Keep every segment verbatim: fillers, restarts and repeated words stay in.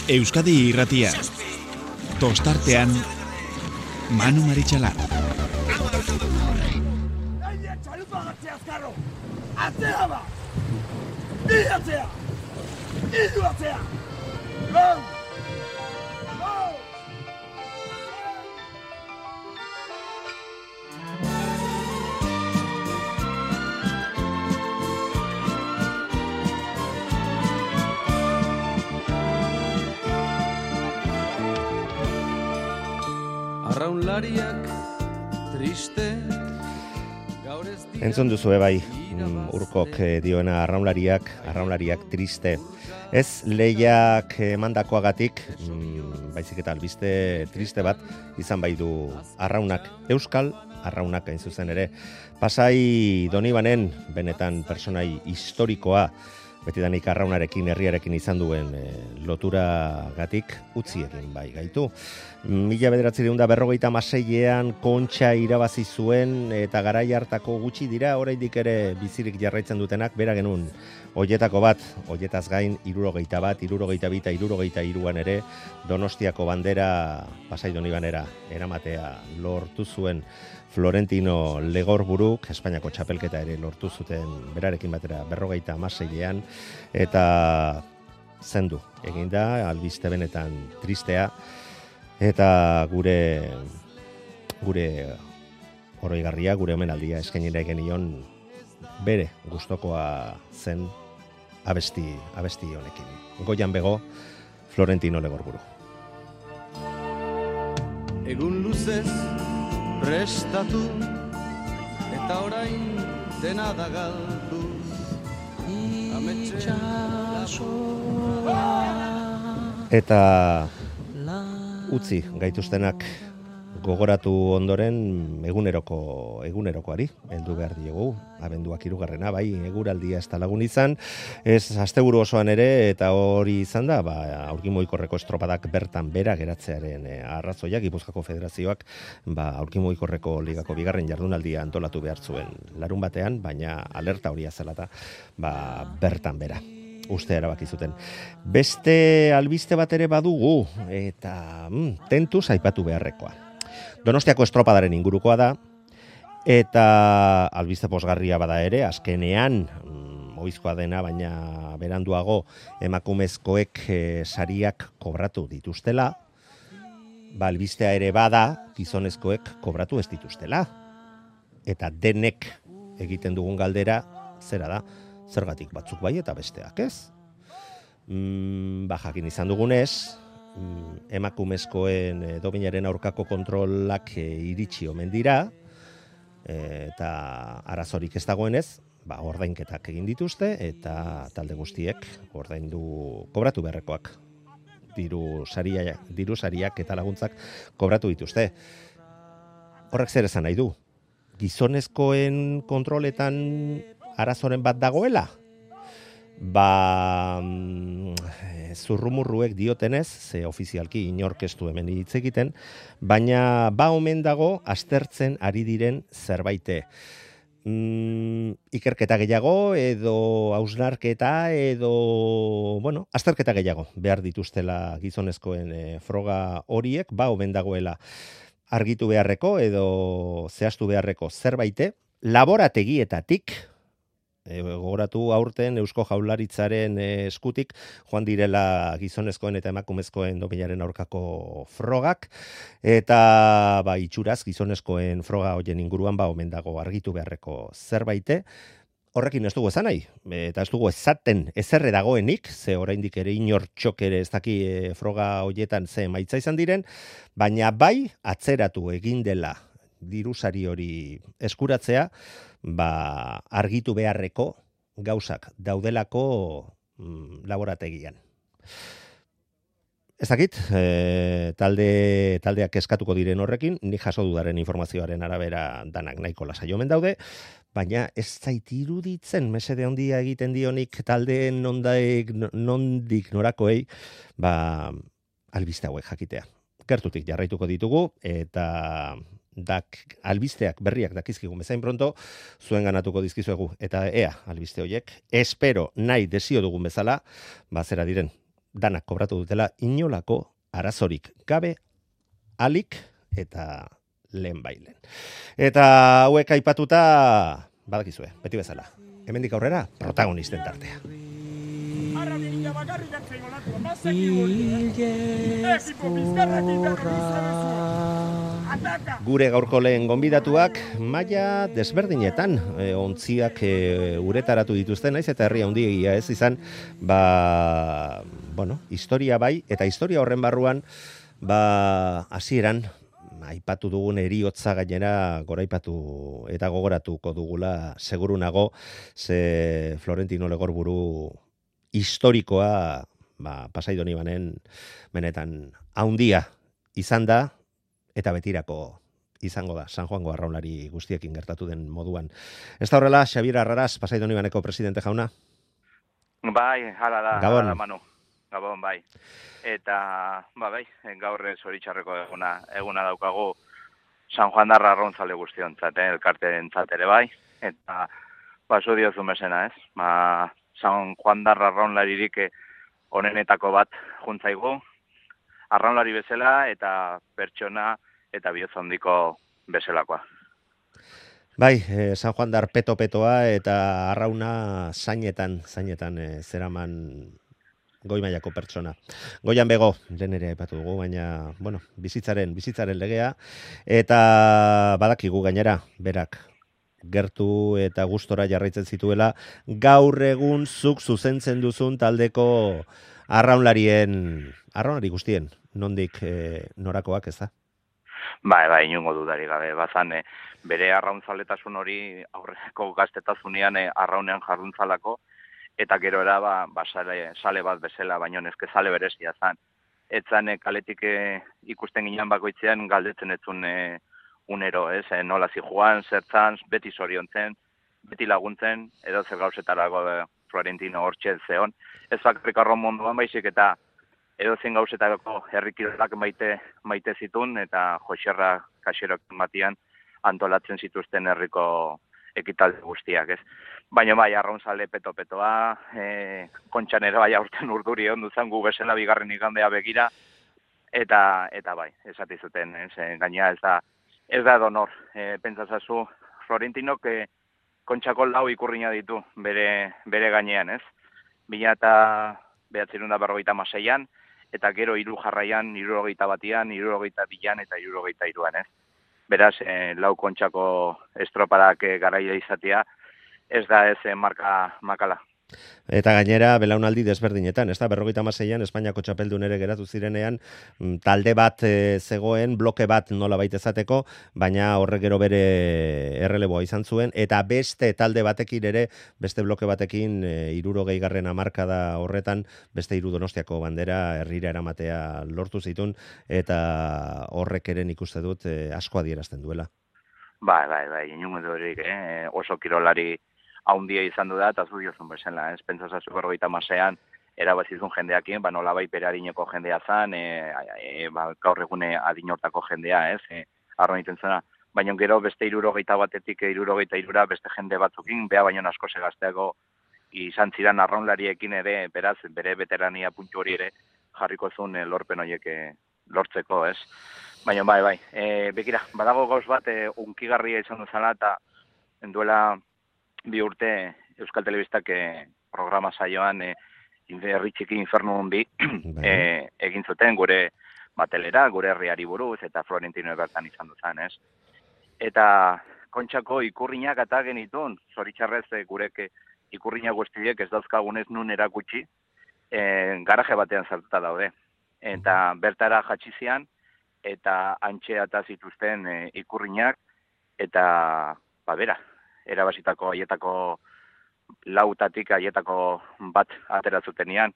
Euskadi Irratia. Tostartean Manu Maritxalar. Atzea ba! Ni atzea! Idu atzea! Go! Go! Arraunlariak triste. Entzun duzu bai, urkok dioena arraunlariak, arraunlariak triste. Ez lehiak emandakoagatik, baizik eta albiste triste bat, izan bai du arraunak euskal, arraunak hain zuzen ere. Pasai Donibanen, benetan personai historikoa, betidanik arraunarekin, herriarekin izan duen e, lotura gatik utzi egin bai gaitu. Mila bederatziehun eta berrogeita hamaseian Kontxa irabazi zuen eta garai hartako gutxi dira oraindik ere bizirik jarraitzen dutenak, bera genuen hoietako bat, hoietaz gain hirurogeita bat, hirurogeita bi eta hirurogeita hiruan ere Donostiako bandera Pasai Donibanera eramatea lortu zuen Florentino Legorburuk, Espainiako txapelketa ere lortu zuten berarekin batera berrogeita hamaseian, eta zendu egin da, albiste benetan tristea, eta gure gure oroigarria, gure omenaldia eskainera genion bere gustokoa zen abesti, abesti honekin. Goian bego, Florentino Legorburu. Egun luzez prestatu eta orain dena da galdu. Eta utzi gaituztenak gogoratu ondoren eguneroko egunerokoari heldu behar diegu, abenduak hirugarrena, bai, eguraldia ez da lagun izan, ez asteburu osoan ere, eta hori izan da, ba, aurkimoikorreko estropadak bertan bera geratzearen e, arrazoiak, Gipuzkoako Federazioak, ba, aurkimoikorreko ligako bigarren jardunaldia antolatu behar zuen larun batean, baina alerta horia zelata, ba, bertan bera. Uste erabaki zuten. Beste albiste bat ere badugu, eta mm, tentuz aipatu beharrekoa. Donostiako estropadaren ingurukoa da, eta albiste posgarria bada ere, azkenean, mm, oizkoa dena, baina beranduago emakumezkoek e, sariak kobratu dituztela, ba, albistea ere bada, gizonezkoek kobratu ez dituztela. Eta denek egiten dugun galdera, zera da, zergatik batzuk bai eta besteak ez. Mm, ba, jakin izan dugunez, mm, emakumezkoen e, dopinaren aurkako kontrolak e, iritsi omen dira, e, eta arazorik ez dagoenez, ba, ordainketak egin dituzte, eta talde guztiek ordaindu kobratu beharrekoak. Diru saria, diru sariak eta laguntzak kobratu dituzte. Horrek zer esan nahi du? Gizonezkoen kontroletan arazoren bat dagoela? Ba, mm, zurrumurruek diotenez, ze ofizialki inorkestu hemen hitz egiten, baina ba omen dago aztertzen ari diren zerbaite. Mm, ikerketa gehiago, edo hausnarketa, edo, bueno, azterketa gehiago behar dituztela gizonezkoen e, froga horiek, ba omen dagoela argitu beharreko, edo zehaztu beharreko zerbaite, laborategietatik, E, gogoratu aurten Eusko Jaurlaritzaren e, eskutik joan direla gizonezkoen eta emakumezkoen dopinaren aurkako frogak, eta ba, itxuraz gizonezkoen froga hoien inguruan ba omen dago argitu beharreko zerbaite. Horrekin ez dugu esan nahi, eta ez dugu esaten ezerre dagoenik, ze oraindik ere inor txok ere ez daki e, froga hoietan ze emaitza izan diren, baina bai atzeratu egin dela dirusari hori eskuratzea, ba, argitu beharreko gauzak daudelako mm, laborategian. Ez dakit, e, talde, taldeak eskatuko diren horrekin, ni jaso dudaren informazioaren arabera danak nahiko lasai omen daude, baina ez zait iruditzen mesede handia egiten dionik taldeen nondaik, nondik norakoei, ba, albiste hauek jakitea. Gertutik jarraituko ditugu, eta dak albisteak berriak dakizkigu bezain pronto, zuen ganatuko dizkizuegu, eta ea albiste horiek, espero nahi desio dugun bezala, bazera diren, danak kobratu dutela inolako arazorik gabe alik eta lehen bailen. Eta hauek aipatuta, badakizue, beti bezala. Hemendik aurrera, protagonisten tartea. Gure gaurko lehen gonbidatuak maila desberdinetan e, ontziak e, uretaratu dituzten, naiz eta herri handiegia ez izan, ba, bueno, historia bai, eta historia horren barruan, ba, hasieran aipatu dugun eriotza gainera goraipatu eta gogoratuko dugula seguru nago, ze Florentino Legorburu historikoa ba, Pasai Donibanen benetan haundia izan da, eta betirako izango da San Juango arraunlari guztiekin gertatu den moduan. Ez da horrela, Xabier Arraraz, Pasai Donibaneko presidente jauna? Bai, hala da, Gabon. hala da, Manu. Gabon, bai. Eta, ba, bai, gaur zoritxarreko eguna, eguna daukagu San Juan darra arrauntzale guztiontzat, eh, elkarteentzat ere bai. Eta, ba, zu diozu mesena, ez? Ba, San Juan darra arraunlaririk onenetako bat juntzaigu, arraunlari bezala eta pertsona eta bihotz handiko bezalakoa. Bai, eh, San Juan dar peto-petoa eta arrauna zainetan, zainetan eh, zeraman goi mailako pertsona. Goian bego, lehen ere aipatu dugu, baina, bueno, bizitzaren, bizitzaren legea, eta badakigu gainera, berak, gertu eta gustora jarraitzen zituela, gaur egun zuk zuzentzen duzun taldeko arraunlarien, arraunlari guztien, nondik eh, norakoak, ez da? Bai, bai, inungo dudari gabe, bazan, eh, bere arrauntzaletasun hori aurreko gaztetazunean eh, arraunean jarruntzalako, eta gero era ba, ba sale, sale bat bezala, baino nezke sale berezia zan. Etzan e, kaletik e, ikusten ginen bakoitzean galdetzen etzun e, unero, ez? E, nola zi joan, zertzan, beti zoriontzen, beti laguntzen, edo zer gauzetarago e, Florentino hortxe zeon. Ez bakarrik arraun munduan baizik eta edo zen gauzetarako herrikirolak maite, maite zitun, eta Joxerra kaxerok batian antolatzen zituzten herriko ekitaldi guztiak, ez? Baina bai, arraunzale peto-petoa, e, kontxan ere bai aurten urduri ondu zen gu bezala bigarren igandea begira, eta eta bai, esati zuten, ez? E, gaina ez da, ez da donor, e, pentsazazu, Florentinok e, kontxako lau ikurriña ditu bere, bere gainean, ez? Bila eta behatzerunda berrogeita maseian, eta gero hiru jarraian, hirurogeita batian, hirurogeita bilan eta hirurogeita hiruan, ez? Beraz, eh, lau kontxako estropadak eh, garaia izatea, ez da ez eh, marka makala. Eta gainera, belaunaldi desberdinetan, ez da, berrogeita hamaseian Espainiako txapeldun ere geratu zirenean, talde bat e, zegoen, bloke bat nola baita izateko, baina horrek gero bere erreleboa izan zuen, eta beste talde batekin ere, beste bloke batekin, e, hirurogei garren hamarkada horretan, beste hiru Donostiako bandera herrira eramatea lortu zitun, eta horrek ere nik uste dut e, asko adierazten duela. Bai, bai, bai, inungo durik, eh? oso kirolari haundia izan du da, eta zu diozun bezala, ez? Pentsazazu berrogeita hamaseian erabazizun jendeakin, ba nola bai bere adineko jendea zan, e, e, ba, gaur egune adinortako jendea, ez? E, arroan iten zena. Baina gero beste hirurogeita batetik hirurogeita hirura beste jende batzukin, bea baino asko segazteago izan ziren arraunlariekin ere, beraz, bere veterania puntu hori ere jarriko zuen e, lorpen horiek e, lortzeko, ez? Baina bai, bai, e, bekira, badago gauz bat e, unkigarria izan duzala, eta duela bi urte Euskal Telebistak eh, programa saioan eh, herri txiki infernu hundi eh, egin zuten gure batelera, gure herriari buruz, eta Florentino bertan izan duzan, ez? Eta kontxako ikurriñak eta genitun, zoritxarrez eh, gurek ikurriñak guztiek ez dauzkagunez nun erakutsi, eh, garaje batean sartuta daude. Eta bertara jatxizian, eta antxe eta zituzten eh, ikurriñak, eta babera, erabasitako haietako lautatik haietako bat ateratzutenian,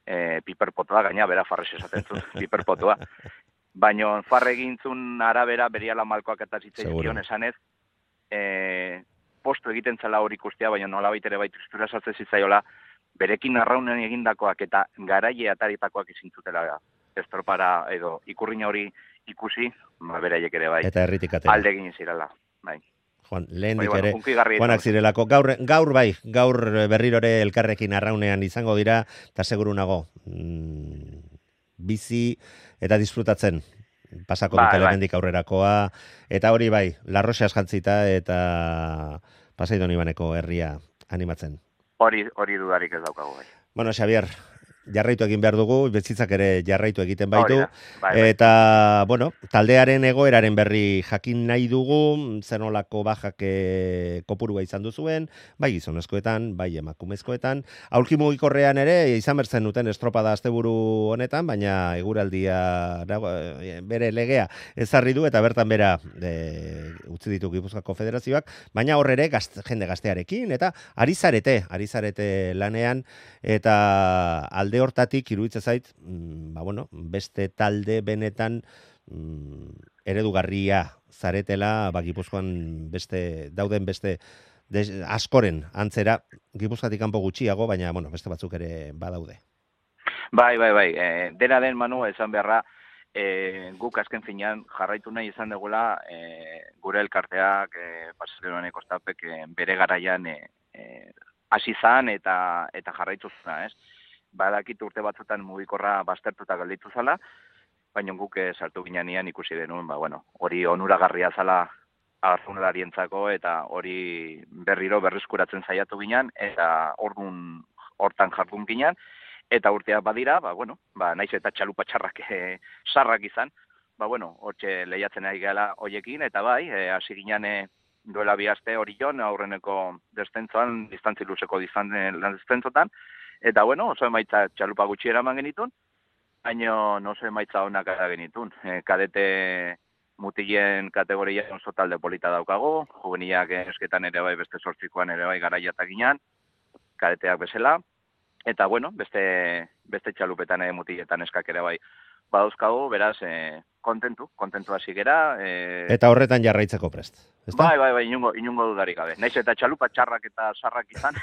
e, piperpotoa, gaina bera farrez esaten zut, piperpotoa. Baina farre egintzun arabera beriala malkoak eta zitzaizion esanez, e, postu egiten zela hori ikustea, baina nola baitere baitu istura sartzen zitzaiola, berekin arraunen egindakoak eta garaie ataritakoak izintzutela estropara edo ikurriña hori ikusi, ba, beraiek ere bai. Eta herritik atera. Alde egin zirala, bai. Juan, lehendik Bai, bueno, ere, hunkigarria Juanak izan. zirelako. Gaur, gaur bai, gaur berrirore elkarrekin arraunean izango dira, eta seguru nago, mm, bizi eta disfrutatzen pasako Bai, dutela bai. hemendik aurrerakoa, eta hori bai, larroxas jantzita eta Pasaidon Ibaneko herria animatzen. Hori, hori dudarik ez daukagu bai. Bueno, Xavier, jarraitu egin behar dugu, bezitzak ere jarraitu egiten baitu, Hori da, bai, bai. eta, bueno, taldearen egoeraren berri jakin nahi dugu, zenolako bajak e, kopurua izan duzuen, bai gizonezkoetan, bai emakumezkoetan, aulki mugikorrean ere, izan bertzen duten estropada asteburu honetan, baina eguraldia bere legea ezarri du, eta bertan bera e, utzi ditu Gipuzkoako Federazioak, baina horrere gazt, jende gaztearekin, eta ari zarete, ari zarete lanean, eta alde hortatik iruditzen zait, mm, ba bueno, beste talde benetan mm, eredugarria zaretela, ba Gipuzkoan beste dauden beste des, askoren antzera, Gipuzkoatik kanpo gutxiago, baina bueno, beste batzuk ere badaude. Bai, bai, bai. E, dena den, Manu, esan beharra, e, guk azken finean jarraitu nahi izan dugula e, gure elkarteak, e, Pasaidon Kostapek e, bere garaian e, e, hasi zan eta eta jarraitu zuna, ez? Badakit urte batzutan mugikorra baztertuta gelditu zala, baina guk e, sartu ginean ikusi denuen, ba, bueno, hori onuragarria zala arraunlarientzako eta hori berriro berreskuratzen saiatu ginean, eta ordun hortan jardun ginean, eta urteak badira, ba, bueno, ba, naiz eta txalupa txarrak e, sarrak izan, ba, bueno, hortxe lehiatzen ari gala hoiekin, eta bai, e, hasi ginean e, duela bi aste hori jon, aurreneko destentzoan, distantzi luzeko distan, lan destentzotan, eta bueno, oso emaitza txalupa gutxi eraman genitun, baina oso emaitza honak gara genitun. E, kadete mutilen kategorian oso talde polita daukago, juvenilak esketan ere bai, beste sortzikoan ere bai garaiatak ginean, kadeteak bezala, eta bueno, beste, beste txalupetan ere mutiletan eskak ere bai badauzkago, beraz, e, kontentu, kontentu hasi gera. E... Eta horretan jarraitzeko prest, ezta? Bai, bai, bai, inungo, inungo dudarik gabe. Naiz eta txalupa txarrak eta sarrak izan,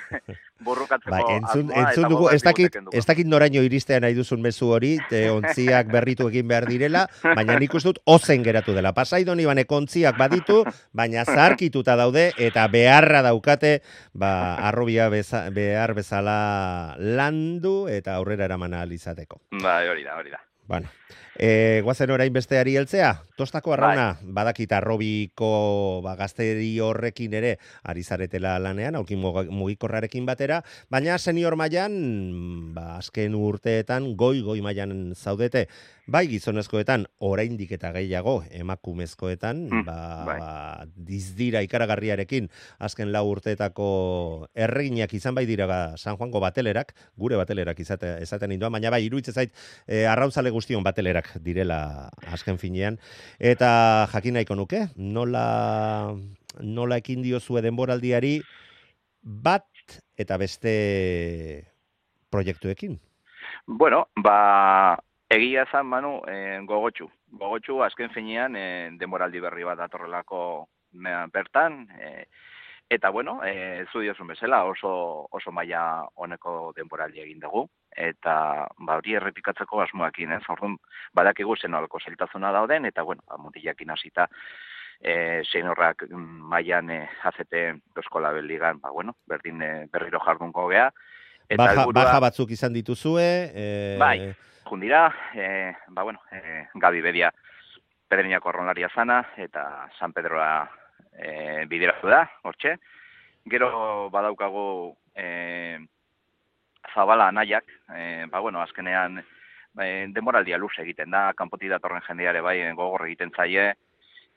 borrokatzeko bai, entzun, asmoa entzun eta dugu, ez dakit, dugu. ez dakit noraino iristean nahi duzun mezu hori, te ontziak berritu egin behar direla, baina nik uste dut ozen geratu dela. Pasaidon Ibaneko ontziak baditu, baina zarkituta daude, eta beharra daukate, ba, arrobia beza, behar bezala landu, eta aurrera eraman ahal izateko. Bai, hori da, hori da. Bueno, e, guazen orain besteari heltzea, tostako arrauna, bai. Badakit arrobiko ba, gazteri horrekin ere ari zaretela lanean, aulki mugikorrarekin batera, baina senior mailan, ba, azken urteetan goi-goi mailan zaudete, bai gizonezkoetan oraindik eta gehiago emakumezkoetan, mm, ba, bai. ba, dizdira ikaragarriarekin azken lau urteetako erreginak izan bai dira ba, San Juango batelerak, gure batelerak izate, esaten indoan, baina bai iruditzen zait e, arraunzale guztion batelerak direla azken finean, eta jakin nahiko nuke, nola, nola ekin diozue denboraldiari bat eta beste proiektuekin? Bueno, ba... Egia zan, Manu, eh, gogotxu. Gogotxu, azken finean, eh, denboraldi berri bat datorrelako bertan, eh, eta, bueno, eh, zu diozun bezala, oso, oso maila honeko denboraldi egin dugu, eta ba, hori errepikatzeko asmoakin, ez? Orduan, badakigu zenolako zailtasuna dauden, eta, bueno, mutilakin hasita, eh, seinorrak mailan eh, azete Euskola Ligan, ba, bueno, berdin eh, berriro jardunko gea. Eta baja, elburua, baja batzuk izan dituzue, eh... bai, jundira, e, ba, bueno, e, Gabi Bedia Pedreñako arronlaria zana, eta San Pedroa e, bideratu da, hortxe. Gero badaukagu e, Zabala anaiak, e, ba, bueno, azkenean e, demoraldia luze egiten da, kanpotik datorren jendeare bai gogor egiten zaie,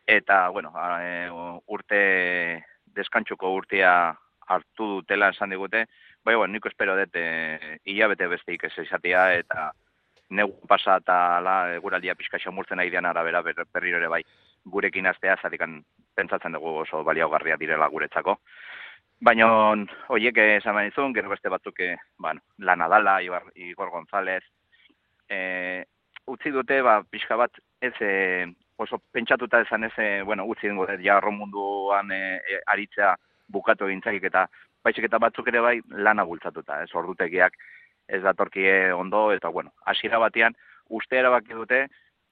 eta, bueno, e, urte, deskantxuko urtea hartu dutela esan digute, bai, bueno, niko espero dut e, hilabete besteik ez izatea, eta negu pasa eta la, guraldia pixka xamurtzen nahi dian arabera ber, berriro ere bai gurekin aztea, zatikan pentsatzen dugu oso baliagarria direla guretzako. Baina horiek esan behar gero beste batzuk bueno, Lana Dala, Igor González, e, utzi dute ba, pixka bat ez e, oso pentsatuta ezan ez, e, bueno, utzi dengo dut jarro munduan e, e, aritzea bukatu egintzakik eta baizik eta batzuk ere bai lana bultzatuta, ez ordutegiak ez datorkie ondo, eta bueno, hasiera batean uste erabaki dute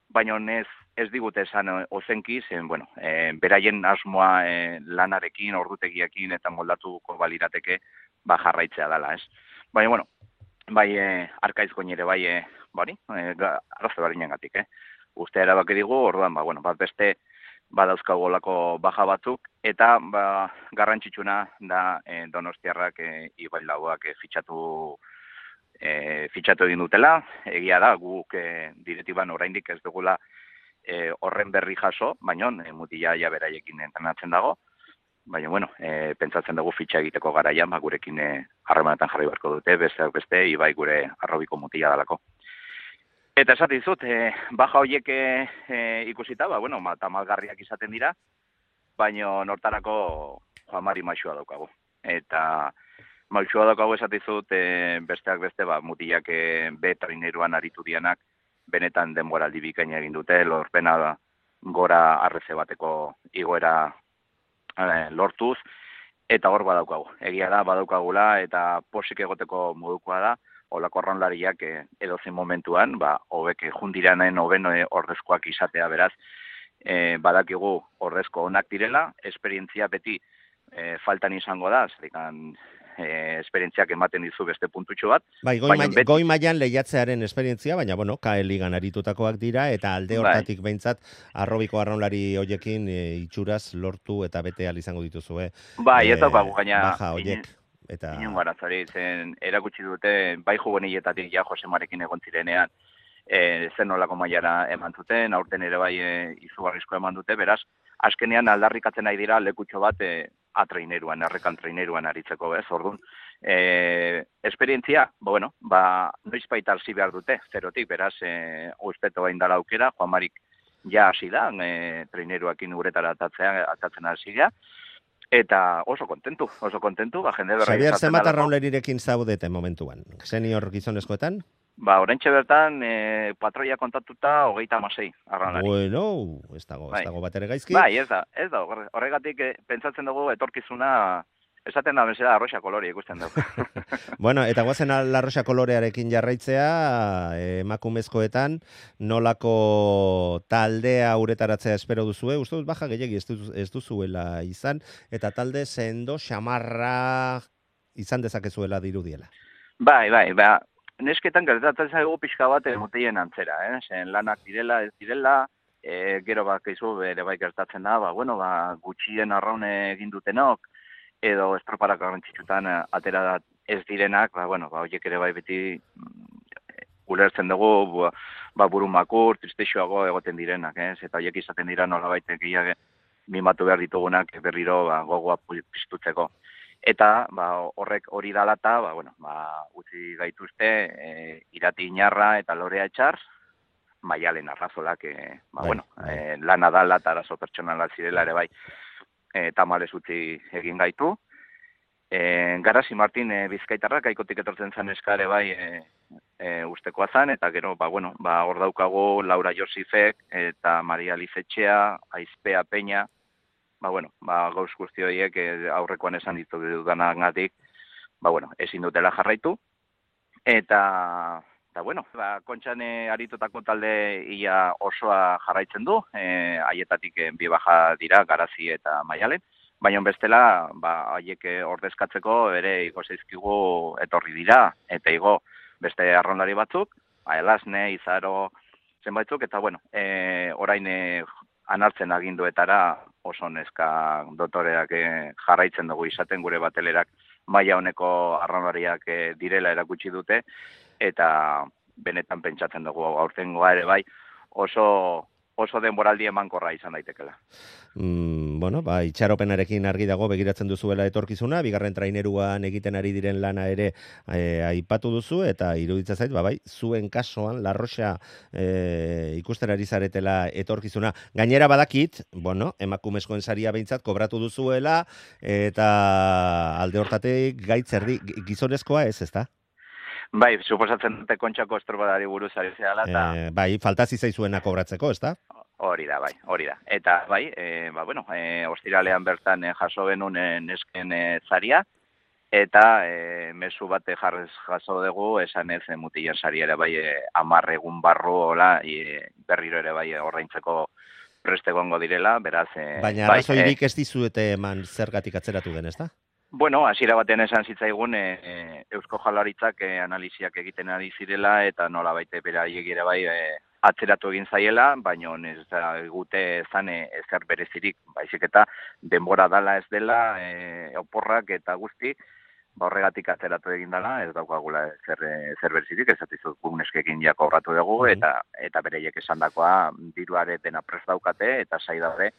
baina ez, ez digute esan ozenki, zen, bueno, e, beraien asmoa e, lanarekin, ordutegiekin eta moldatuko balirateke, ba, jarraitzea dela, ez? Baina, bueno, bai, e, arkaiz goinere, bai, e, bari, e, arrazo barinengatik, eh? Uste erabaki digu, orduan, ba, bueno, bat beste, badauzkagolako baja batzuk, eta ba, garrantzitsuna da e, Donostiarrak e, Ibailauak e, fitxatu e, fitxatu egin dutela. Egia da, guk e, diretiban oraindik ez dugula e, horren berri jaso, baina e, mutila ja beraiekin entrenatzen dago. Baina, bueno, e, pentsatzen dugu fitxa egiteko garaian, ba, gurekin harremanetan jarri beharko dute, besteak beste, Ibai gure arrobiko mutila dalako. Eta esate dizut, e, baja horiek e, ikusita, ba, bueno, tamalgarriak izaten dira, baina nortarako Juan Mari maixua daukagu. Eta maixua daukagu esate dizut, e, besteak beste, ba, mutilak e, be traineruan aritu dianak, benetan denboraldi bikaina egin dute, lorpena gora arreze bateko igoera e, lortuz, eta hor badaukagu. Egia da, badaukagula, eta posik egoteko modukoa da, olako arraunlariak eh, edozein momentuan, ba, hobek jundiranen hoben eh, ordezkoak izatea beraz, eh, badakigu ordezko onak direla, esperientzia beti eh, faltan izango da, zerikan eh, esperientziak ematen dizu beste puntutxo bat. Bai, goi, ma beti... goi mailan lehiatzearen esperientzia, baina, bueno, K L ligan aritutakoak dira, eta alde hortatik bai. Behintzat, arrobiko arraunlari hoiekin e, itxuraz lortu eta bete izango dituzu, eh? Bai, ez daukagu gaina... Baja hoiek. Eta... Inon garazari, zen erakutsi dute, bai juveniletatik ja Josemarekin egon zirenean, e, zen nolako mailara eman zuten, aurten ere bai e, izugarrizko eman dute, beraz, azkenean aldarrikatzen nahi dira lekutxo bat e, atraineruan, errekan traineruan aritzeko, bez, orduan. E, esperientzia, bo, bueno, ba, noiz baita arzi behar dute, zerotik, beraz, e, usteto bain dala aukera, Juan Marik ja hasi da, e, traineruakin uretara atatzea, atatzen hasi da, eta oso kontentu, oso kontentu, ba, jende berra. Xabier, zenbat arraunlarirekin zaudete momentuan? Senior gizonezkoetan? Ba, oraintxe bertan, e, patroia kontatuta, hogeita amasei arraunlari. Bueno, ez dago, ez dago bat ere gaizki. Bai, ez da, ez da, horregatik e, pentsatzen dugu etorkizuna, esaten da bezala arroxa kolori ikusten dugu. Bueno, eta guazen arroxa kolorearekin jarraitzea, emakumezkoetan, nolako taldea uretaratzea espero duzue, uste dut baja gehiagi ez, duz, ez duzuela izan, eta talde sendo xamarra izan dezakezuela dirudiela. Bai, bai, ba, nesketan gertatzen zaigu pixka bat mutien antzera, eh? Zen lanak direla, ez direla, e, gero bak izu bere bai gertatzen da, ba, bueno, ba, gutxien arraune egin dutenok, edo estroparak garrantzitsutan atera ez direnak, ba, bueno, ba, horiek ere bai beti ulertzen dugu, ba, burumakur, tristexoago egoten direnak, ez? Eta horiek izaten dira nolabait gehiago mimatu behar ditugunak berriro ba, gogoa piztutzeko. Eta ba, horrek hori dalata, ba, bueno, ba, utzi gaituzte e, Irati Inarra eta Lorea Etxar, Maialen Arrazolak, e, ba, bai, bueno, bai. E, lana dala eta arazo pertsonala zirela ere bai, e, tamales utzi egin gaitu. E, Garasi Martin e, Bizkaitarrak aikotik etortzen zen eskare bai e, e, ustekoa zen, eta gero, ba, bueno, ba, hor daukagu Laura Josifek eta Maria Lizetxea, Aizpea Peña, ba, bueno, ba, gauz guzti horiek e, aurrekoan esan ditu dudanagatik, ba, bueno, ezin dutela jarraitu, eta, eta bueno, ba, kontxan e, aritutako talde ia osoa jarraitzen du, e, haietatik e, bi baja dira, Garazi eta Maialen, baina bestela, ba, haiek ordezkatzeko ere igo zeizkigu etorri dira, eta igo beste arraunlari batzuk, Aelasne, Izaro, zenbaitzuk, eta bueno, e, orain e, anartzen aginduetara oso neska dotoreak e, jarraitzen dugu izaten gure batelerak maila honeko arraunlariak e, direla erakutsi dute, eta benetan pentsatzen dugu aurtengoa ere bai oso oso denboraldi emankorra izan daitekela. Mm, bueno, ba, itxaropenarekin argi dago begiratzen duzuela etorkizuna, bigarren traineruan egiten ari diren lana ere e, aipatu duzu, eta iruditzen zait, ba, bai, zuen kasuan, Larroxa e, ikusten ari zaretela etorkizuna. Gainera badakit, bueno, emakumezkoen saria behintzat kobratu duzuela, eta alde hortatik gaitzerdi, gizonezkoa ez, ezta? Bai, suposatzen dute Kontxako estropari buruz ari zehala, eta... E, bai, faltazi zaizuena kobratzeko, ezta? Hori da, bai, hori da. Eta, bai, e, ba, bueno, e, ostiralean bertan e, jaso genuen e, nesken e, zaria, eta e, mezu bate jarrez jaso dugu, esan ez, e, mutilen sari ere bai e, amar egun barru, hola, e, berriro ere bai ordaintzeko preste gongo direla, beraz... E, Baina bai, arrazoirik e, ez dizuete eman zergatik atzeratu den, ezta? Bueno, hasiera batean esan zitzaigun e, e, Eusko Jaurlaritzak e, analiziak egiten ari zirela eta nola baite beraiek ere bai e, atzeratu egin zaiela, baina ez da gute ezan e, ezer berezirik, baizik eta denbora dala ez dela, e, oporrak eta guzti, ba horregatik atzeratu egin dela, ez daukagula zer, zer berezirik, ez atizut guneskekin jako horratu dugu, Mm-hmm. eta eta bereiek esandakoa diruare dena prest daukate, eta sai daude,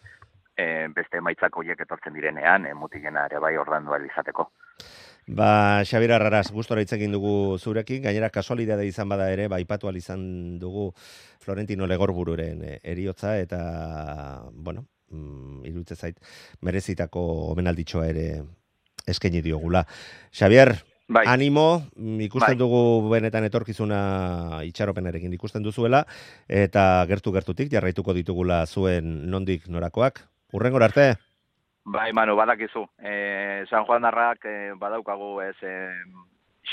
e, beste emaitzak horiek etortzen direnean, e, mutilena ere bai ordandu ahal izateko. Ba, Xabier Arraraz, gustora hitz egin dugu zurekin, gainera kasualidade izan bada ere, ba, aipatu ahal izan dugu Florentino Legorbururen eh, eriotza, eta, bueno, mm, iruditzen zait, merezitako omenalditxoa ere eskaini diogula. Xabier, Bai. animo, ikusten Bai. dugu benetan etorkizuna itxaropenarekin ikusten duzuela, eta gertu-gertutik jarraituko ditugula zuen nondik norakoak. Hurrengora arte? Bai, Manu, badakizu. E, San Juan Darrak e, badaukagu ez e,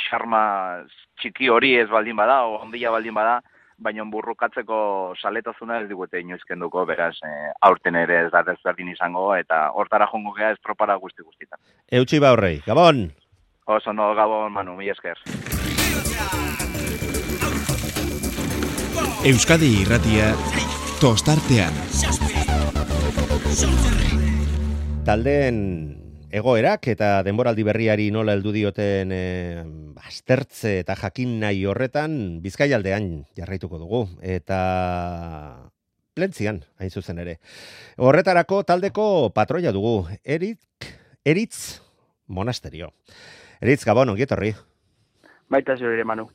xarma txiki hori ez baldin bada, o ondila baldin bada, baina burrukatzeko saletasuna ez digute inoizkenduko, beraz, e, aurten ere ez da desberdin izango, eta hortara jongo gea estropara guzti guztitan. Eutxi ba horrei, Gabon! Oso no, Gabon, Manu, mi esker. Euskadi Irratia tostartean. Taldeen egoerak eta denboraldi berriari nola heldu dioten e, aztertze eta jakin nahi horretan Bizkaialdean jarraituko dugu eta Plentzian hain zuzen ere. Horretarako taldeko patroia dugu, Erik, Eritz Monasterio. Eritz, Gabon, ongi etorri. Baita zure, Manu.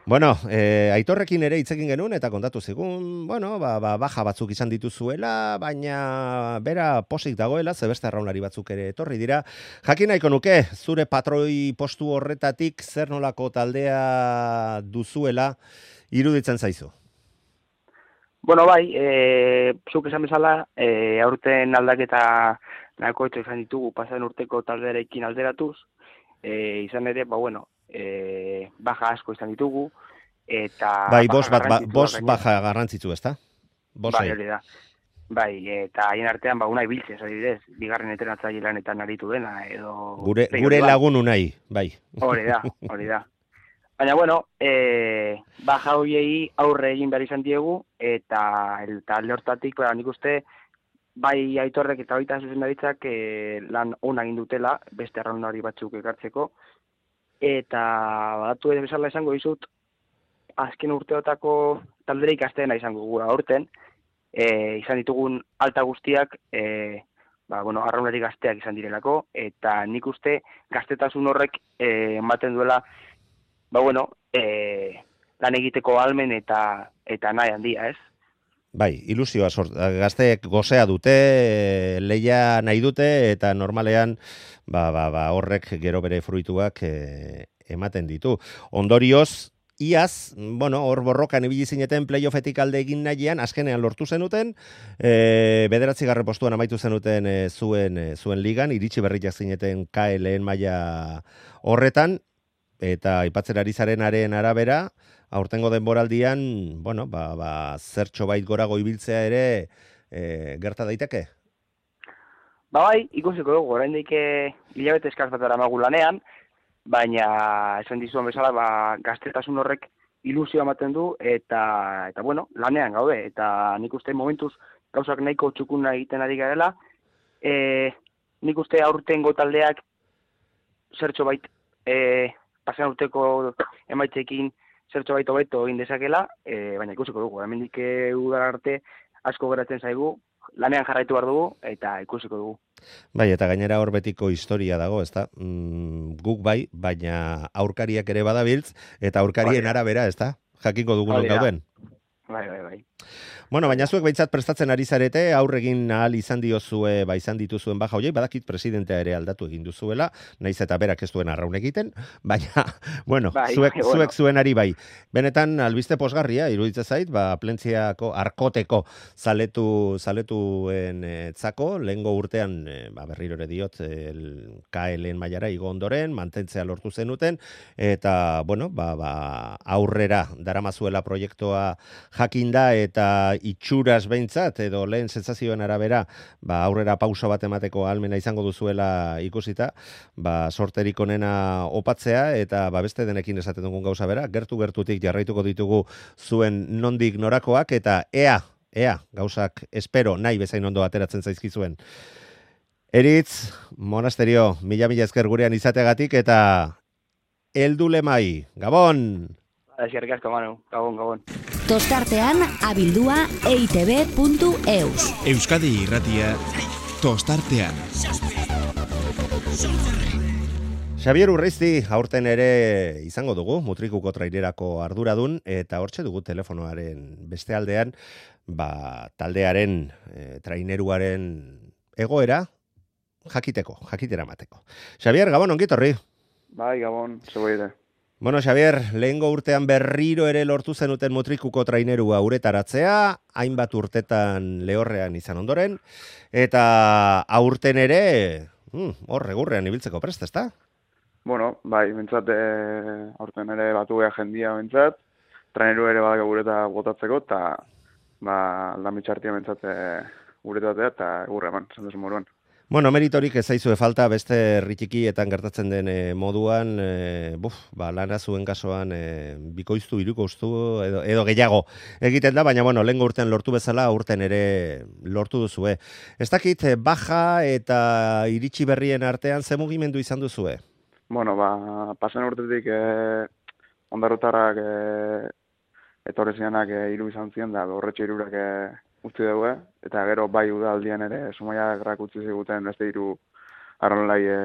Bueno, eh, Aitorrekin ere hitz egin genuen eta kontatu zigun, bueno, ba, ba, baja batzuk izan dituzuela, baina bera posik dagoela, ze beste arraunlari batzuk ere etorri dira. Jakin nahiko nuke, zure patroi postu horretatik zer nolako taldea duzuela iruditzen zaizu? Bueno, bai, e, zuk esan bezala, e, aurten aldaketa nahiko etxo izan ditugu pasaden urteko taldearekin alderatuz, e, izan ere, ba, bueno, E, baja asko izan ditugu, eta... Bai, bost bat, ba, bost baja garrantzitsu, ezta? Bai, hori da. Bai, eta haien artean, ba, unai biltzez, adibidez, bigarren entrenatzaile lanetan aritu dena, edo... Gure, gure lagun unai, bai. Hori da, hori da. Baina, bueno, e, baja horiei aurre egin behar izan diegu, eta talde hortatik, ba, nik uste, bai Aitorrek eta baita zuzendaritzak e, lan ona egin dutela, beste arraunlari batzuk ekartzeko, eta badatu ere bezala izango dizut, azken urteotako talderik azteena izango gura aurten, e, izan ditugun alta guztiak, e, ba, bueno, arraunari gazteak izan direlako, eta nik uste gaztetasun horrek e, ematen duela, ba, bueno, e, lan egiteko almen eta eta nahi handia, ez? Bai, ilusioa sort, gazteek gozea dute, leia nahi dute, eta normalean ba, ba, ba, horrek gero bere fruituak e, ematen ditu. Ondorioz, iaz, bueno, hor borrokan ibili zineten playoffetik alde egin nahian, azkenean lortu zenuten, e, bederatzi garren postuan amaitu zenuten e, zuen, e, zuen ligan, iritsi berriak zineten K L-en maila horretan, eta aipatzen ari zarenaren arabera, aurtengo denboraldian, bueno, ba, ba, zertxo bait gorago ibiltzea ere e, gerta daiteke? Ba bai, ikusiko dugu, oraindik hilabete eskaz bat daramagu lanean, baina esan dizuan bezala, ba, gaztetasun horrek ilusio ematen du, eta, eta bueno, lanean gaude, eta nik uste momentuz gauzak nahiko txukuna egiten ari garela, e, nik uste aurtengo taldeak zertxo bait, e, pasan urteko emaitzekin zertxo baito beto egin dezakela, e, baina ikusiko dugu, hemendik udara arte asko geratzen zaigu, lanean jarraitu behar dugu, eta ikusiko dugu. Bai, eta gainera hor betiko historia dago, ezta? Mm, guk bai, baina aurkariak ere badabiltz, eta aurkarien arabera, ezta? Jakiko dugun gauden. Bai, bai, bai. Bueno, baina zuek behintzat prestatzen ari zarete, aurregin ahal izan diozue, ba izan dituzuen baja hoiek, badakit presidentea ere aldatu egin duzuela, naiz eta berak ez duen arraun egiten, baina, bueno, Bai, zuek, bai, bueno. zuek zuenari bai. Benetan, albiste posgarria, iruditzen zait, ba, Plentziako arkoteko zaletu, zaletuen e, zako, lehengo urtean, e, ba, berriro ere diot, el K L mailara igo ondoren, mantentzea lortu zenuten, eta, bueno, ba, ba, aurrera daramazuela proiektua jakinda, eta itxuras behintzat, edo lehen sentsazioen arabera, ba, aurrera pauso bat emateko ahalmena izango duzuela ikusita, ba, sorterik onena opatzea, eta ba, beste denekin esaten dugun gauza bera, gertu-gertutik jarraituko ditugu zuen nondik norakoak, eta ea, ea, gauzak espero nahi bezain ondo ateratzen zaizkizuen. Eritz, monasterio, mila-mila esker gurean izateagatik, eta heldu lemai, Gabon! Eskerrik asko, Manu, gabon, gabon. Tostartean abildua e i te be puntu eus. Euskadi Irratia Tostartean. Xabier Urreizti aurten ere izango dugu, Mutrikuko trainerako arduradun, eta hortxe dugu telefonoaren beste aldean, ba, taldearen, e, traineruaren egoera jakiteko, jakitera mateko. Xabier, Gabon, ongitorri? Bai, Gabon, zeboire. Bueno, Xabier, lehengo urtean berriro ere lortu zenuten Mutrikuko trainerua uretaratzea, hainbat urtetan lehorrean izan ondoren, eta aurten ere, hmm, hor, egurrean ibiltzeko prest, ezta? Bueno, bai, bentsat, e, aurten ere batu geha jendia bentsat, traineru ere badaka gureta botatzeko, eta ba, aldamitxartia bentsat e, guretatea, eta egurre eman, zendezu moruan. Bueno, meritorik ez zaizue falta, beste herritikietan gertatzen den e, moduan, e, buf, ba, lana zuen kasuan e, bikoiztu, irukoiztu edo, edo gehiago egiten da, baina bueno, lehengo urtean lortu bezala, urten ere lortu duzue. Ez dakit, baja eta iritsi berrien artean ze mugimendu izan duzue? Bueno, ba, pasen urtetik e, ondarotarrak e, etorri zianak e, iru izan zian, da horretxe irurak e, utzi dugu, eta gero bai udaldian ere sumaiak utzi ziguten beste hiru arrolai e,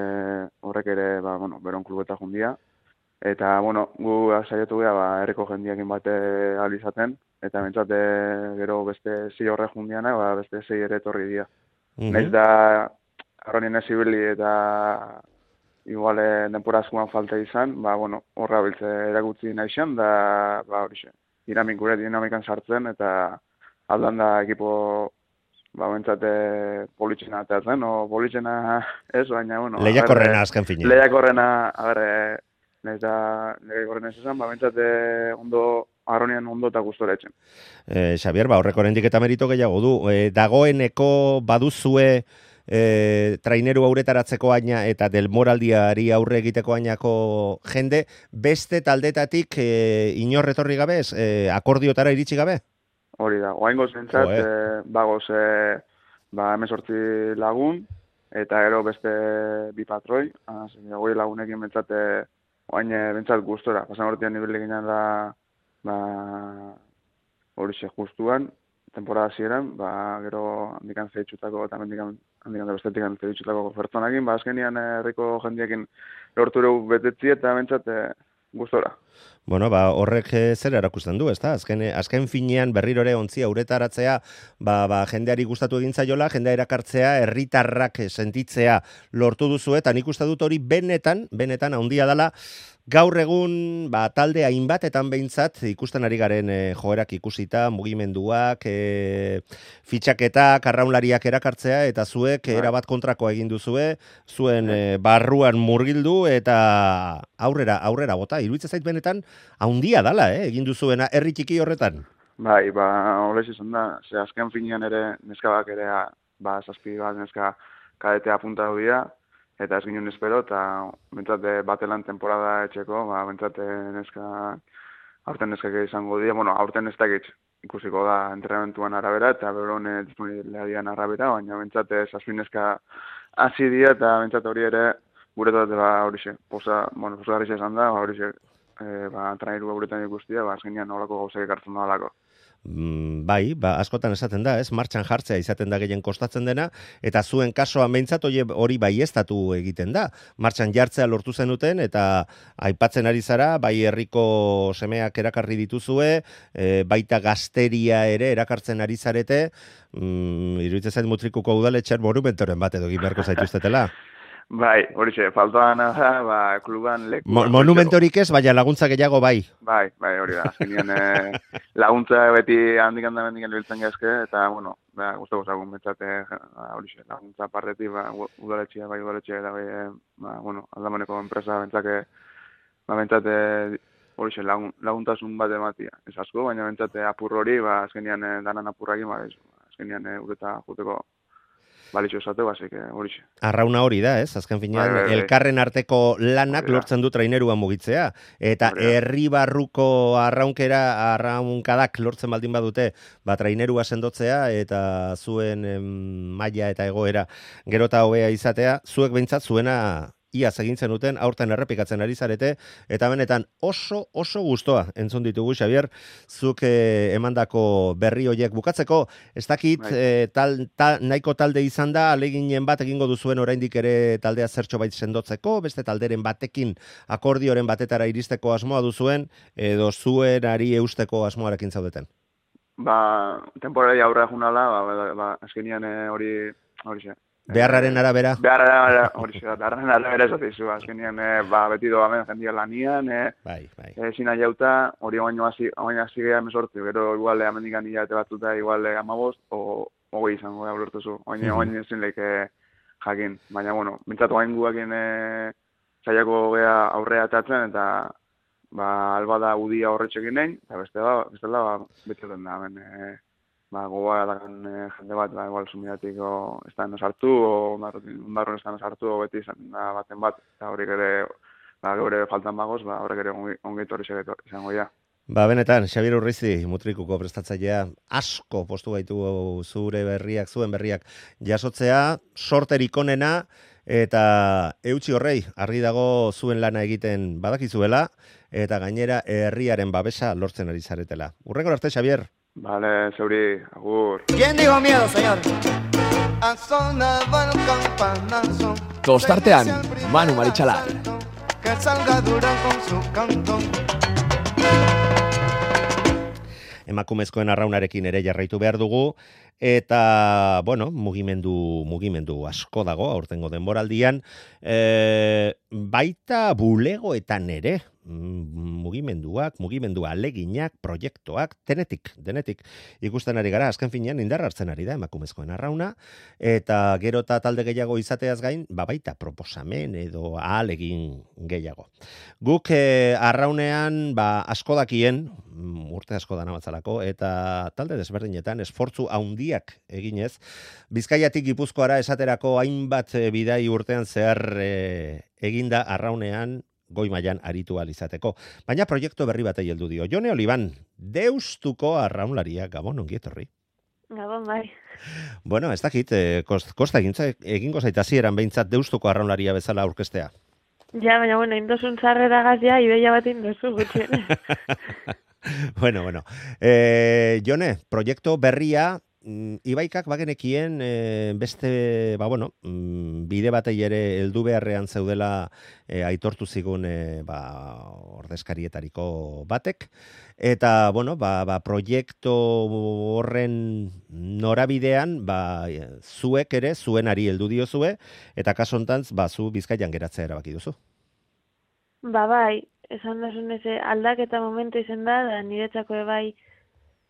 horrek ere, ba, bueno, beron klubeta jundia. Eta, bueno, gu saiatu geha, ba, herriko jendiakin bate ahal izaten, eta bentsate gero beste zei horre jundiana, ba, beste zei ere etorri dira. Mm-hmm. Naiz da, arronien ez ibili eta igual denpora askuan falta izan, ba, bueno, horra biltze erakutzi naixan, da, ba, horixe, dinamik gure dinamikan sartzen, eta aldan da ekipo, ba, bentsate politxena ateatzen, o politxena ez, baina, bueno... Lehiakorrena azken fine. Lehiakorrena, a ber, nahiz da, lehiakorrena ez esan, ba, bentsate ondo, arronian ondo eta gustora etxen. Eh, Xabier, ba, horreko oraindik eta merito gehiago du. Eh, dagoeneko baduzue e, traineru auretaratzeko aina eta del moraldiari aurre egiteko ainako jende, beste taldetatik e, inor etorri gabe, e, akordiotara iritsi gabe? Hori da, oaingo zentzat, e, bagoz, e, ba, emezortzi lagun, eta gero beste bi patroi, goi lagunekin bentsate, oain bentsat gustora, pasan hortian nibili ginen da, ba, hori xe justuan, temporada ziren, ba, gero handikan zeitxutako, eta handikan, handikan da bestetik zeitxutako pertsonakin, ba, azkenian herriko jendiekin lortu dugu betetzi eta bentsat e, gustora. Bueno, ba, horrek zer erakusten du, ezta? Azken, azken finean berriro ere ontzia uretaratzea, ba, ba, jendeari gustatu egin zaiola, jendea erakartzea, herritarrak sentitzea lortu duzu, eta nik uste dut hori benetan, benetan handia dela, gaur egun ba, talde hainbatetan behintzat ikusten ari garen e, joerak ikusita, mugimenduak, e, fitxaketak, arraunlariak erakartzea, eta zuek erabat kontrakoa egin duzue, zuen e, barruan murgildu, eta aurrera, aurrera bota, iruditzen zait benetan, haundia dala, eh, egin duzuena herri txiki horretan. Bai, ba, horrez izan da, ze azken finean ere, neskabak ere, ba, zazpi bat neska kadetea puntatu dira, eta ez ginen espero, eta bentsate batelan temporada etxeko, ba, bentsate neska, aurten neskak izango dira, bueno, aurten ez dakit ikusiko da entrenamentuan arabera, eta berone disponibiliadian arabera, baina bentsate zazpi neska hasi dira, eta bentsate hori ere, guretat, ba, horixe, posa, bueno, posa izan da, ba, horixe, e, ba, traineru guretan ikustia, ba, azkenean horako gauzak ekartzen da alako. mm, bai, ba, askotan esaten da, ez, martxan jartzea izaten da gehien kostatzen dena, eta zuen kasuan behintzat hori baieztatu egiten da. Martxan jartzea lortu zenuten, eta aipatzen ari zara, bai herriko semeak erakarri dituzue, e, baita gazteria ere erakartzen ari zarete, mm, iruditzen zait Mutrikuko udaletxean monumentoren bat edo egin beharko zaituztetela. Bai, hori xe, faltoan da, ba, kluban leku. Mo, monumentorik ez, baina laguntza gehiago bai. Bai, bai, hori da. Azkenean eh, laguntza beti handik handa bendiken biltzen gezke, eta, bueno, ba, guztu gozagun betzate, hori xe, laguntza partetik, ba, udaletxea, bai, udaletxea, eta bai, eh, ba, bueno, aldamoneko enpresa bentzake, ba, bentzate, hori xe, lagun, laguntasun bat ematia. Ez asko, baina bentzate apur hori, ba, azkenean eh, danan apurrakin, ba, ez, azkenean eh, ureta juteko balitxo esate, basik, hori xe. Arrauna hori da, ez? Azken finean, bai, bai, bai. Elkarren arteko lanak lortzen du trainerua mugitzea. Eta herri barruko arraunkera, arraunkadak lortzen baldin badute, ba, trainerua sendotzea, eta zuen em, maila eta egoera gerota hobea izatea, zuek behintzat zuena iaz egin zenuten, aurten errepikatzen ari zarete, eta benetan oso, oso gustoa entzun ditugu, Xabier, zuk eh, emandako berri horiek bukatzeko, ez dakit eh, tal, tal, nahiko talde izan da, aleginen bat egingo duzuen oraindik ere taldea zertxo bait sendotzeko, beste talderen batekin akordioren batetara iristeko asmoa duzuen, edo zuen ari eusteko asmoarekin zaudeten? Ba, temporari aurra junala, ba, ba, ba, azkenian hori, hori xe. Beharraren arabera? Beharraren arabera, hori xe, beharraren arabera esatezu, azkenian, eh, ba, beti doa men, jendia lanian, eh, bai, bai. Eh, zina jauta, hori baino hasi, baino hasi gehiago mesortzi, gero igual amendikan hilate batzuta, igual amabost, o hogei izango da ulertuzu, baina Mhm. baina ezin leike jakin, baina, bueno, bintzatu hain guakin eh, zaiako gea aurrea atatzen, eta, ba, alba da udia horretxekin nahi, eta beste da, beste da, ba, betxoten da, hemen, eh, ba, gogoa dakan eh, jende bat, ba, igual sumidatiko estan sartu, o ondarron estan sartu, o beti izan da baten bat, eta hori ere, ba, gure faltan bagoz, ba, horrek ere ongeit hori izango ja. Ba, benetan, Xabier Urrizi, Mutrikuko prestatzailea, asko postu gaitu zure berriak, zuen berriak jasotzea, sorterik onena, eta eutxi horrei, argi dago zuen lana egiten badakizuela, eta gainera herriaren babesa lortzen ari zaretela. Urrengor arte, Xabier. Vale, zeuri, agur. ¿Quién dijo miedo, señor? Tostartean, Manu Marichalar. Que salga dura con su canto. Emakumezkoen arraunarekin ere jarraitu behar dugu, eta, bueno, mugimendu, mugimendu asko dago, aurtengo denboraldian, e, baita bulegoetan ere, mugimenduak, mugimendu aleginak, proiektuak, denetik, denetik ikusten ari gara, azken finean indar hartzen ari da emakumezkoen arrauna, eta gero eta talde gehiago izateaz gain, ba baita proposamen edo ahalegin gehiago. Guk eh, arraunean ba, asko dakien, urte asko dana batzalako, eta talde desberdinetan esfortzu handiak eginez, Bizkaiatik Gipuzkoara esaterako hainbat bidai urtean zehar eh, eginda arraunean goi mailan aritu ahal izateko. Baina proiektu berri batei heldu dio. Jone Oliban, Deustuko arraunlaria, Gabon, ongi etorri. Gabon, bai. Bueno, ez dakit, eh, kost, kosta egintza, egingo zaita zieran behintzat Deustuko arraunlaria bezala aurkestea. Ja, baina, bueno, indosun zarrera gazia, ideia bat indosu gutxien. bueno, bueno. Eh, Jone, proiektu berria, Ibaikak bagenekien e, beste, ba bueno, bide batei ere heldu beharrean zeudela e, aitortu zigun e, ba, ordezkarietariko batek, eta bueno, ba, ba, proiektu horren norabidean ba, zuek ere zuenari heldu diozue, eta kaso hontan ba, zu Bizkaian geratzea erabaki duzu. Ba bai, esan dasun eze aldaketa momentu izen da, da niretzako bai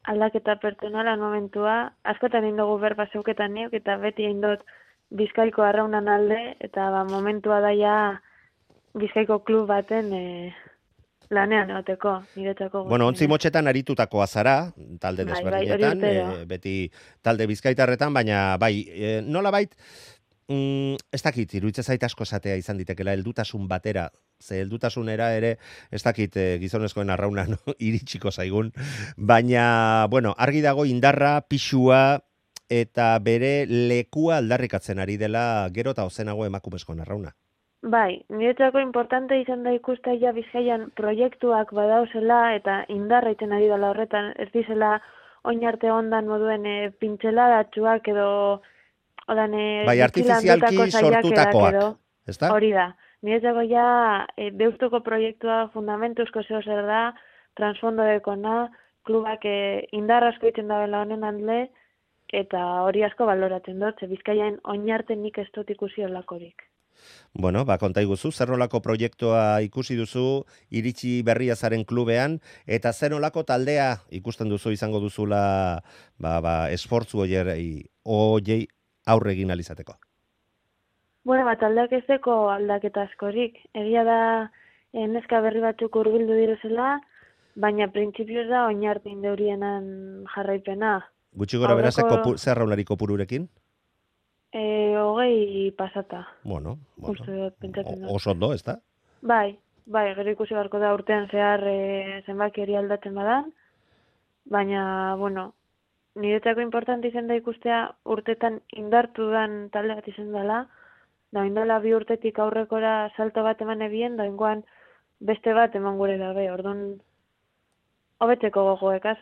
aldaketa pertsonalan momentua, askotan indogu berba zeuketan neuk, eta beti indot Bizkaiko arraunan alde, eta ba, momentua daia Bizkaiko klub baten e, lanean egoteko, niretzako. Bueno, ontzi motxetan aritutako azara, talde desberdinetan, bai, e, beti talde bizkaitarretan, baina bai, e, nola bait, Mm, ez dakit, iruditzen zait asko esatea izan ditekela, heldutasun batera, ze heldutasunera ere, ez dakit eh, gizonezkoen arrauna no, iritsiko zaigun, baina, bueno, argi dago indarra, pixua, eta bere lekua aldarrikatzen ari dela gero eta ozenago emakumezkoen arrauna. Bai, niretzako importante izan da ikustea Bizkaian proiektuak badauzela eta indarra iten ari dela horretan, ez dizela oin arte ondan moduen e, pintxeladatxuak edo odan, e, bai, artifizialki sortutakoak, ezta? Hori da. Niretzako ja e, deustuko proiektua fundamentuzko zeo zer da, transfondo dekona, klubak e, indar asko iten dabela honen handle, eta hori asko baloratzen dut, ze Bizkaian oinarten nik ez dut ikusi olakorik. Bueno, ba, konta iguzu, zer nolako proiektua ikusi duzu, iritsi berria zaren klubean, eta zer nolako taldea ikusten duzu izango duzula ba, ba, esfortzu oiei, oiei aurre egin alizateko? Bueno, ba, taldeak ez deko aldaketa askorik. Egia da, eh, neska berri batzuk hurbildu direzela, baina printzipioz da oinartin deurienan jarraipena. Gutxi gora bera Aurreko- zer raunari kopururekin? E, hogei pasata. Bueno, bueno. Uste dut, pentsatzen dut. Oso ondo, ez da? Bai, bai, gero ikusi beharko da urtean zehar e, zenbaki hori aldatzen badan, baina, bueno, niretzako importante izan da ikustea urtetan indartu dan talde bat izan dela, da indala bi urtetik aurrekora salto bat eman ebien, da ingoan beste bat eman gure dabe, orduan hobetzeko gogoekaz.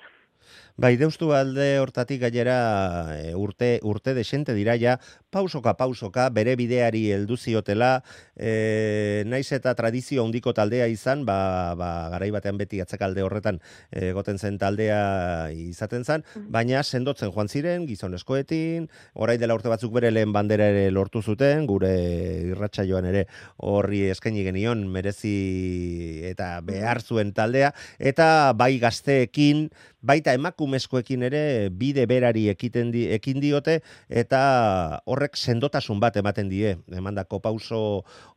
Bai, deustu alde hortatik gainera e, urte urte desente dira ja, pausoka pausoka bere bideari heldu ziotela, e, naiz eta tradizio handiko taldea izan, ba, ba garai batean beti atzekalde horretan egoten zen taldea izaten zen, baina sendotzen joan ziren gizonezkoetin, orain dela urte batzuk bere lehen bandera ere lortu zuten, gure irratsaioan ere horri eskaini genion merezi eta behar zuen taldea, eta bai gazteekin, baita emakumezkoekin ere bide berari ekiten di, ekin diote eta horrek sendotasun bat ematen die emandako pauso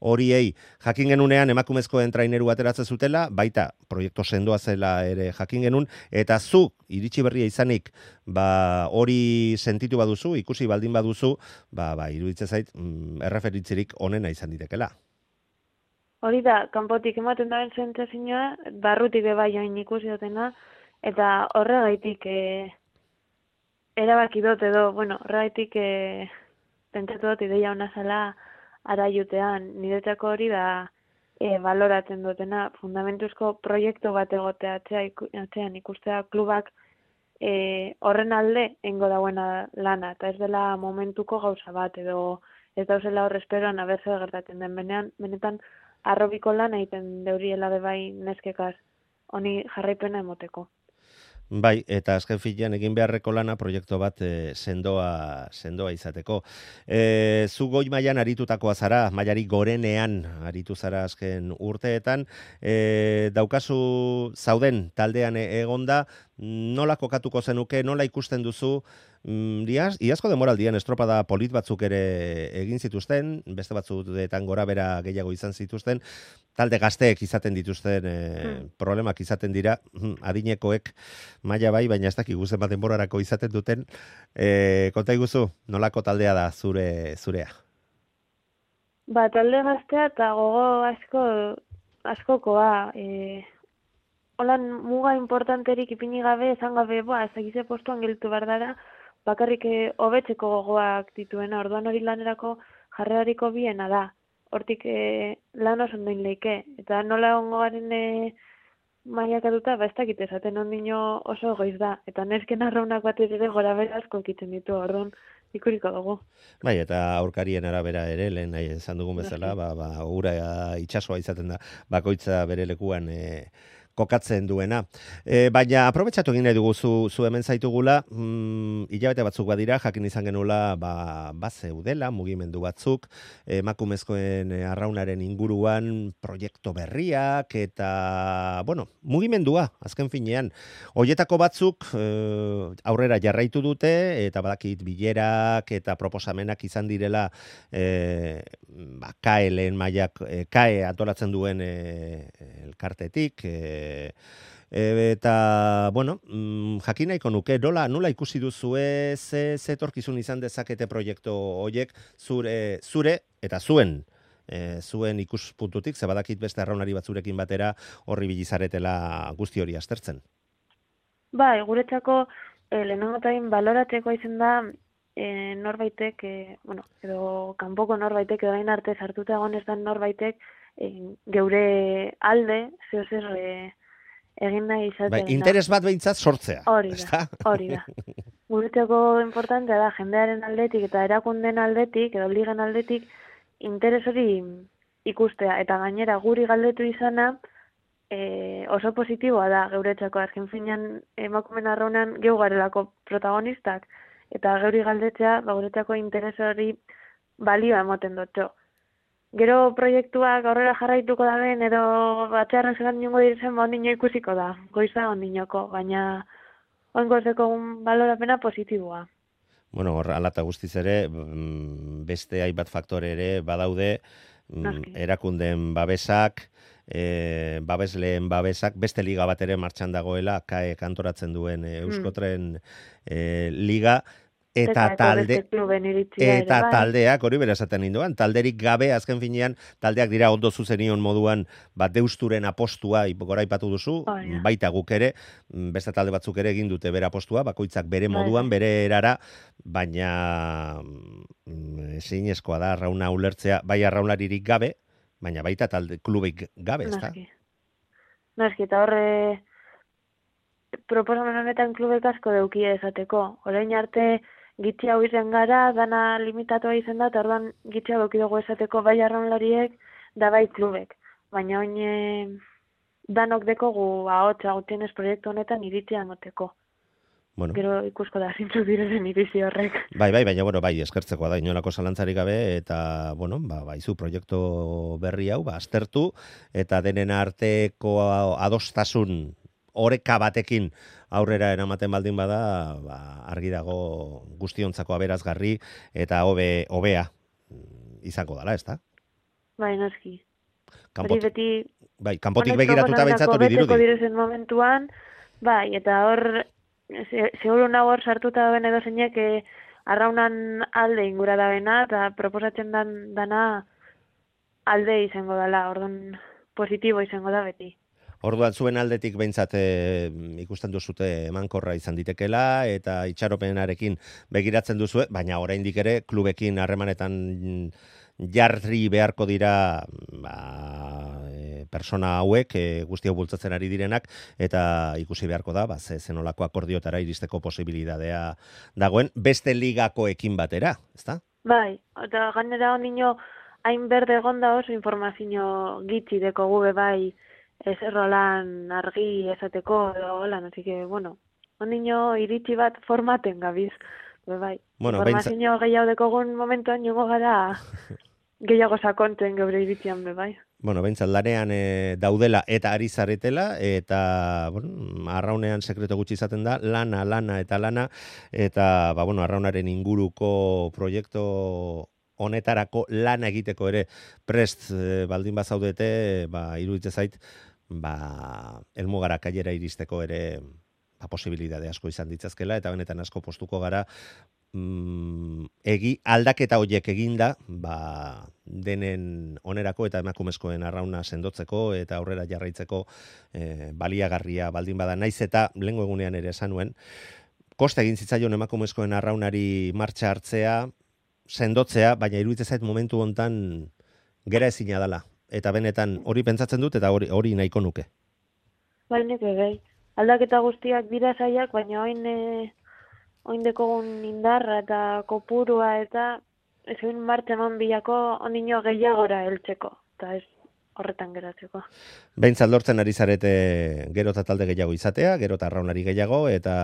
horiei. Jakin genunean emakumezkoen traineru ateratzen zutela, baita proiektu sendoa zela ere jakin genuen, eta zu iritsi berria izanik ba hori sentitu baduzu, ikusi baldin baduzu, ba ba iruditzen zait mm, erreferitzirik onena izan ditekela. Hori da, kanpotik ematen daren sentsazioa, barrutik be bai hain ikusi dutena, eta horregaitik e, erabaki dut edo, bueno, horregaitik e, pentsatu dut ideia ona zela araiutean. Niretzako hori da e, baloratzen dutena, fundamentuzko proiektu bat egotea atzea, atzean ikustea klubak e, horren alde engo dauena lana, eta ez dela momentuko gauza bat, edo ez dauzela hor esperoan abertze gertatzen den benean, benetan arrobiko lan egiten deuriela bebai neskekaz, honi jarraipena emoteko. Bai, eta azken finean egin beharreko lana proiektu bat e, sendoa sendoa izateko. E, zu goi mailan aritutakoa zara, mailari gorenean aritu zara azken urteetan, e, daukazu zauden taldean egonda, nola kokatuko zenuke, nola ikusten duzu, mm, iaz, iazko demoraldian estropada polit batzuk ere egin zituzten, beste batzuetan gora bera gehiago izan zituzten, talde gazteek izaten dituzten e, hmm. problemak izaten dira, adinekoek maila bai, baina ez dakik guzen bat denborarako izaten duten, e, konta iguzu, nolako taldea da zure zurea? Ba, talde gaztea eta gogo asko, askokoa, e, holan muga importanterik ipini gabe, esan gabe, boa, ezagize postuan geltu behar dara, bakarrik hobetzeko gogoak dituena, orduan hori lanerako jarrerariko biena da. Hortik e, lan oso ondoin leike, eta nola ongo garen e, mailakatuta, ba ez dakit esaten ondino oso goiz da, eta nesken arraunak bat ere gora bera asko ekitzen ditu, orduan ikuriko dugu. Bai, eta aurkarien arabera ere, lehen nahi esan dugun bezala, ba, ba, ura itsasoa izaten da, bakoitza bere lekuan e, kokatzen duena. E, baina aprobetxatu egin nahi dugu zu, zu hemen zaitugula, mm, hilabete batzuk badira, jakin izan genula ba, bazeudela, mugimendu batzuk, emakumezkoen arraunaren inguruan proiektu berriak, eta, bueno, mugimendua, azken finean. Hoietako batzuk e, aurrera jarraitu dute, eta badakit bilerak eta proposamenak izan direla e, ba, K E lehen mailak, e, K E atolatzen duen e, elkartetik, e, E, eta, bueno, mm, jakin nahiko nuke, nola, nola ikusi duzue ze, ze etorkizun izan dezakete proiektu horiek zure, zure eta zuen, e, zuen ikuspuntutik, ze badakit beste arraunari batzurekin batera horri bilizaretela guzti hori aztertzen. Bai, guretzako e, lehenengotain baloratzeko izan da e, norbaitek, e, bueno, edo kanpoko norbaitek, edo gain arte sartuta egon ez da norbaitek, e, geure alde, zeo zer, e, egin nahi izatea. Bai, interes bat behintzat sortzea. Hori da, hori da. Guretzako importantea da, jendearen aldetik eta erakunden aldetik, edo ligen aldetik, interes hori ikustea. Eta gainera, guri galdetu izana, e, oso positiboa da, geuretzako. Azken finean, emakumen arraunan geu garelako protagonistak. Eta geuri galdetzea, ba, guretzako interes hori balioa emoten dutxo. Gero proiektuak aurrera jarraituko da ben, edo batxarren zelan niongo direzen, ba, ondino ikusiko da, goiza ondinoko, baina oingozeko balorapena positiboa. Bueno, hor, alata guztiz ere, beste hainbat faktore ere badaude, Noski. Erakundeen babesak, e, babesleen babesak, beste liga bat ere martxan dagoela, kae kantoratzen duen e, Euskotren e, liga, eta talde eta bai. taldeak hori bera esaten ninduan, talderik gabe azken finean taldeak dira ondo zuzenion moduan bat deusturen apostua goraipatu duzu, oh, ja. baita guk ere, beste talde batzuk ere egin dute bere apostua, bakoitzak bere moduan, bere erara, baina ezinezkoa da arrauna ulertzea, bai arraunlaririk gabe, baina baita talde klubik gabe, ezta? Noski. Noski, eta horre proposamen honetan klubek asko deukia esateko. Orain arte gitxi hau izan gara, dana limitatua izan da, eta orduan gitxi hau dugu esateko bai arraunlariek, da bai klubek. Baina oin e, danok dekogu ahotsa gutienez proiektu honetan iritzia emoteko. Bueno. Gero ikusko da zintzu direzen iritzi horrek. Bai, bai, baina bueno, bai, eskertzekoa da inolako zalantzarik gabe, eta bueno, ba, baizu proiektu berri hau, ba, aztertu, eta denen arteko adostasun oreka batekin aurrera eramaten baldin bada, ba, argi dago guztiontzako aberazgarri eta hobe hobea izango dela, ezta? Bai, noski. Kanpot, hori beti bai, kanpotik begiratuta behintzat hori dirudi. Direzen momentuan, bai, eta hor seguru nago hor sartuta dauen edo zeinek eh, arraunan alde ingura dabena, eta proposatzen dan, dana alde izango dela, orduan positibo izango da beti. Orduan zuen aldetik behintzat e, ikusten duzute emankorra izan ditekela eta itxaropenarekin begiratzen duzue, baina oraindik ere klubekin harremanetan jarri beharko dira ba, e, persona hauek, e, guzti hau bultzatzen ari direnak, eta ikusi beharko da, ba, ze zenolako akordiotara iristeko posibilitatea dagoen, beste ligakoekin batera, ezta? Bai, eta gainera ondino hain berde egonda oso informazio gitxi deko gube bai, ez errolan argi esateko edo holan, así que, bueno, ondino iritsi bat formaten gabiz, bai. Bueno, informazio beintza... gehiago dekogun momentuan jongo gara gehiago sakontzen geure iritzian, bai. Bueno, behintzat lanean e, daudela eta ari zaretela, eta bueno, arraunean sekreto gutxi izaten da, lana, lana eta lana, eta ba, bueno, arraunaren inguruko proiektu honetarako lana egiteko ere prest e, baldin bazaudete, ba, iruditzen zait, ba, elmugara kailera iristeko ere ba, posibilitate asko izan ditzazkela, eta benetan asko postuko gara mm, egi aldaketa horiek eginda, ba, denen onerako eta emakumezkoen arrauna sendotzeko eta aurrera jarraitzeko e, baliagarria baldin bada, naiz eta lehengo egunean ere esan nuen, koste egin zitzaion emakumezkoen arraunari martxa hartzea, sendotzea, baina iruditzen zait momentu hontan gera ezina dela. Eta benetan hori pentsatzen dut eta hori hori nahiko nuke. Bai, neke bai. Aldaketa guztiak dira zaiak, baina oin e, oin dekogun indarra eta kopurua eta ez egin martxa eman bilako ondino gehiagora heltzeko. Eta ez horretan geratzeko. Behintzat lortzen ari zarete gero eta talde gehiago izatea, gero eta arraunari gehiago, eta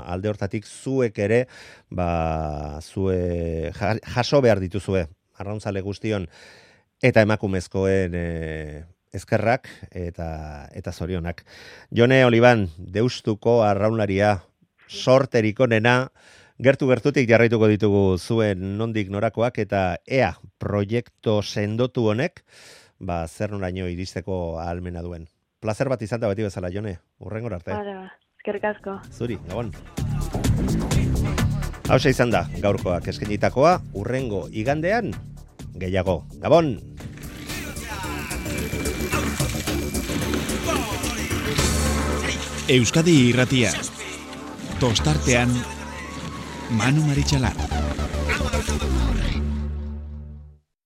alde hortatik zuek ere, ba, zue jaso behar dituzue, arrauntzale guztion, eta emakumezkoen e, eskerrak eta eta zorionak. Jone Oliban, Deustuko arraunlaria, sorterik onena, gertu-gertutik jarraituko ditugu zuen nondik norakoak, eta ea proiektu sendotu honek, ba, zer noraino iristeko ahalmena duen. Plazer bat izan da beti bezala, Jone, urrengor arte. Bara, eskerrik asko. Zuri, gabon. Hauxe izan da, gaurkoak eskenitakoa, urrengo igandean, gehiago. Gabon! Euskadi Irratia. Tostartean, Manu Maritxalar.